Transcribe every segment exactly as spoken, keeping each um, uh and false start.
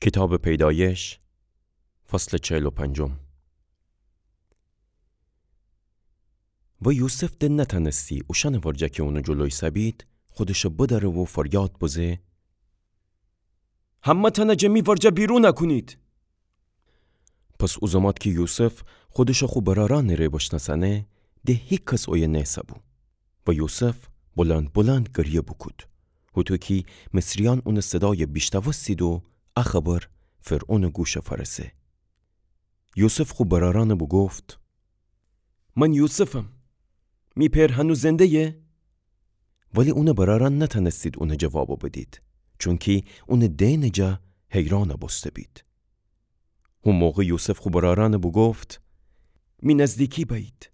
کیتابٚ پیدایش، فصلٚ چهل و پنجم. و یوسف د نتأنستی اوشأنٚ ورجه کی اونٚ جلو ایسه‌بید، خودشٚ بدأره و فریاد بزه: همه‌تأنه جٚه می ورجه بیرون کونید! پس او زمات کی یوسف خودشٚ خو برأرأنٚ ره بشنأسأنه، د هیکس اویه نیسه‌بو. و یوسف بلند بلند گریه بوکود، هوطو کی مصریأن اونٚ صدای بیشنوستید و ا خبر فرعونٚ گوش فأرسه. یوسف خو برأرأن بوگفت: من یوسفم. می پئر هنو زنده‌یه؟ ولی اونٚ برأرأن نتأنستید اون جواب بدید، چونکی اونٚ دئنٚ جا حیران بوسته‌بید. هو موقع یوسف خو برأرأن بوگفت: می نزدیکی بأیید.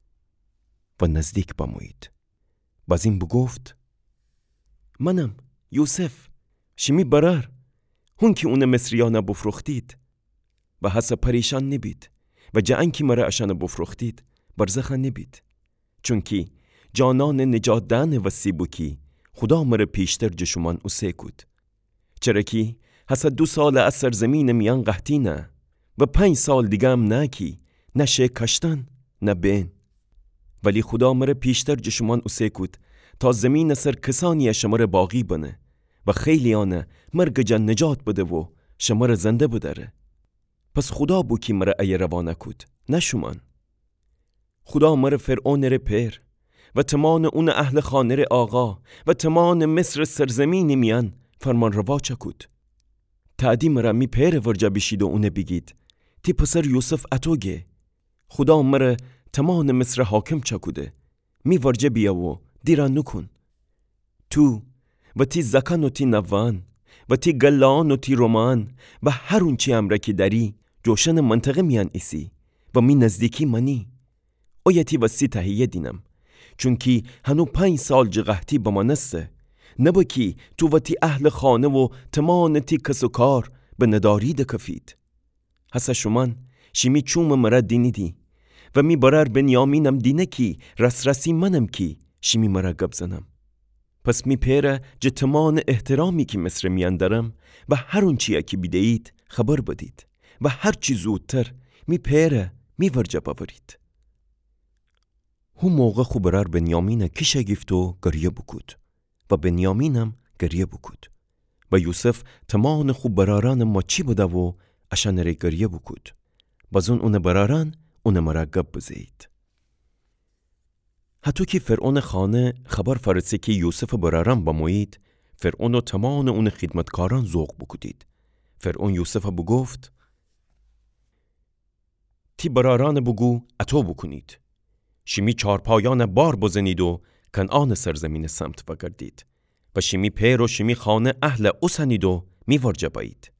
و نزدیک بمویید. بازین بوگفت: منم، یوسف، شیمی برأر، هون کی اونٚ مصریأن بوفروختید. و هسه پریشأن نیبید و جٚه انکی مر اشأن بوفروختید، برزخ نیبید. چونکی جانأنٚ نجات دئنٚ وسی بو کی خودا مر پیشتر جٚه شومأن اوسه کود. چره کی هسه دو سال ا سرزمینٚ میأن قحطی نه و پنج سال دیگه هم نه کی نه شه کاشتن نه بئن. ولی خودا مر پیشتر جٚه شومأن اوسه کود تا زمینٚ سر کسأنی شمر باقی بنه و خیلیأن مرگٚ جا نجات بده و شمر زنده بدأره. پس خودا بو کی مر ایه روانه کود، نه شومأن. خودا مر فرعونٚ ره پئر و تومانٚ اونٚ اهلٚ خانه ره آقا و تومانٚ مصرٚ سرزمینٚ میأن فرمانروا چأکود. تأدی مر می پئرٚ ورجه بیشید و اون بیگید: تی پسر یوسف اطو گه. خودا مر تومانٚ مصر حاکم چأکوده. می ورجه بیأ و دیره نوکون. تو و تی زأکأن و تی نوه‌أن و تی گله‌أن و تی رومه‌أن و هر اونچی امرأ کی دأری، جٚه اوشأنٚ منطقه میأن ایسی و می نزدیکی مأنی. اویه تی وسی تهیه دینم، چونکی هنو پنج سال جٚه قحطی بمأنسته، نبه کی تو و تی اهلٚ خانه و تومانٚ تی کس و کار به نداری دکفید. هسه شومأن شیمی چومٚ مر دینیدی و می برأر بنیامینم دینه کی راس‌راسی منم کی شیمی مر گب زنم. پس می پئر جٚه تومانٚ احترامی کی مصرٚ میأن دأرم و هر اونچیی کی بیده‌یید خبر بدید و هر چی زودتر می پئر می ورجه بأورید. هو موقع خو برأر بنیامین کیش گیفت و گریه بوکود. و بنیامینم گریه بوکود. و یوسف تومانٚ خو برأرأنٚ ماچی بده و اشأنٚ ره گریه بوکود. بازون اونٚ برأرأن اونٚ مر گب بزه‌یید. هطو کی فرعونٚ خانه خبر فأرسه کی یوسفٚ برأرأن بمویید، فرعون و تومانٚ اونٚ خیدمتکارأن ذوق بوکودید. فرعون یوسف بوگفت: تی برأرأن بوگو اطو بوکونید: شیمی چارپایأن بار بزنید و کنعانٚ سرزمینٚ سمت وأگردید و شیمی پئر و شیمی خانه اهل اوسنید و می ورجه بأیید.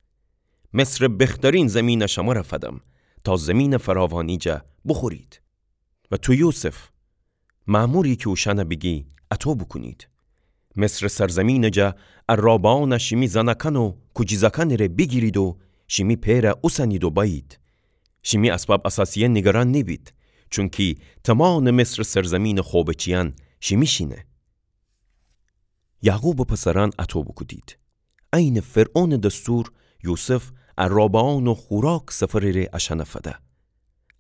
مصرٚ بخترین زمین شمر فدم تا زمینٚ فراوانی جا بوخورید. و تو یوسف، مأموری کی اوشأن بیگی اطو بوکونید: مصرٚ سرزمینٚ جا عرابأن شیمی زنأکأن و کوجیزأکأنٚ ره بیگیرید و شیمی پئر اوسنید و بأیید. شیمی اسباب اساسیه نیگران نیبید، چونکی تومانٚ مصرٚ سرزمینٚ خوبه چیأن شیمیشینه. یعقوبٚ پسرأن اطو بوکودید. عینٚ فرعونٚ دستور یوسف عرابأن و خوراک سفرٚ ره اشأن فده.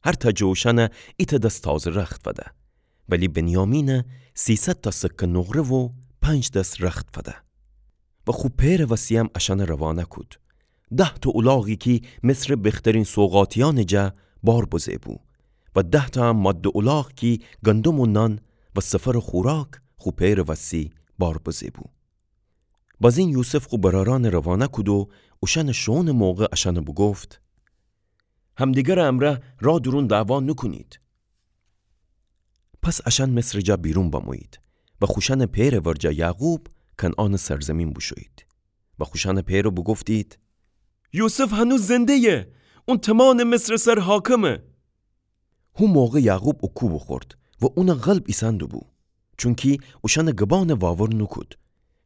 هر تأ جٚه اوشأن ایتأ دس تازه رخت فده. ولی بنیامین سیصد تأ سکه نقره و پنج دس رخت فده. و خو پئرٚ وسی‌یم اشأن روانه کود. ده تأ اولاغی کی مصرٚ بخترین سوغاتیأنٚ جا بار بزه بو و ده تأ ماده اولاغ کی گندم و نان و سفرٚ خوراک خو پئرٚ وسی بار بزه بو. بازین یوسف خو برأرأن روانه کود و اوشأنٚ شوئونٚ موقع اشأن بوگفت: همدیگرٚ امرأ رأ دورون دعوا نوکونید. پس اشأن مصرٚ جا بیرون بمویید و خوشأنٚ پئرٚ ورجه یعقوب کنعانٚ سرزمین بوشویید. و خوشأنٚ پئر بوگفتید: یوسف هنوز زنده‌یه، اون تومانٚ مصرٚ سر حاکمه. هو موقع یعقوب اوکو بوخورد و اون قلب ایسأن دوبو، چونکی اوشأنٚ گبأن واور نوکود.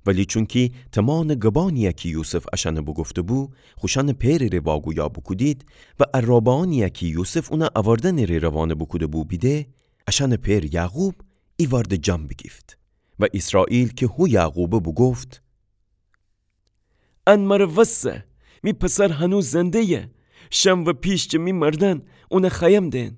ولی چونکی تومانٚ گبأنیی کی یوسف اشأن بوگفته‌بو، خوشأنٚ پئرٚ ره واگویا بوکودید و عرابأنیی کی یوسف اون اوردنٚ ره روانه بوکوده‌بو بیده، اشأنٚ پئر یعقوب ایوأرد جان بیگیفت. و ایسرائیل کی هو یعقوبه بوگفت: ان مر وسه، می پسر هنو زنده‌یه. شم و پیش جٚه می مردأن اونَ خأیم دئن.